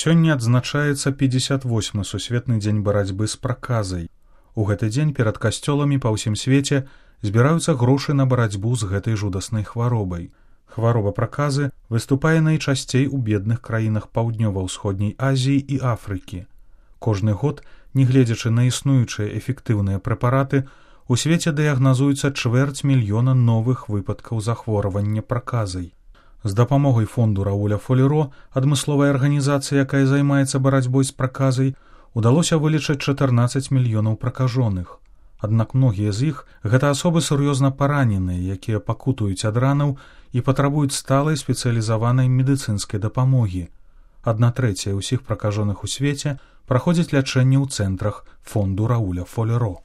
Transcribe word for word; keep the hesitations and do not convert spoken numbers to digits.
Сёння адзначаецца пятьдесят восьмы сусветны дзень барацьбы з праказай. У гэты дзень перад касцёламі па ўсім свеце збіраюцца грошы на барацьбу з гэтай жудаснай хваробай. Хвароба праказы выступае найчасцей у бедных краінах паўднёва-ўсходняй Азіі і Афрыкі. Кожны год, нягледзячы на існуючыя эфектыўныя прэпараты, у свеце дыягназуецца чвэрць мільёна новых выпадкаў захворвання праказай. З дапамогай фонду Рауля Фолеро, адмысловай арганізацыі, якая займаецца барацьбой з праказай, удалося вылечыць чатырнаццаць мільёнаў пракажоных. Аднак многія з іх гэта асобы сур'ёзна параненыя, якія пакутуюць ад ранаў і патрабуюць сталай спецыялізаванай медыцынскай дапамогі. Адна трэцяя ўсіх пракажоных у свеце праходзіць лячэнне ў цэнтрах фонду Рауля Фолеро.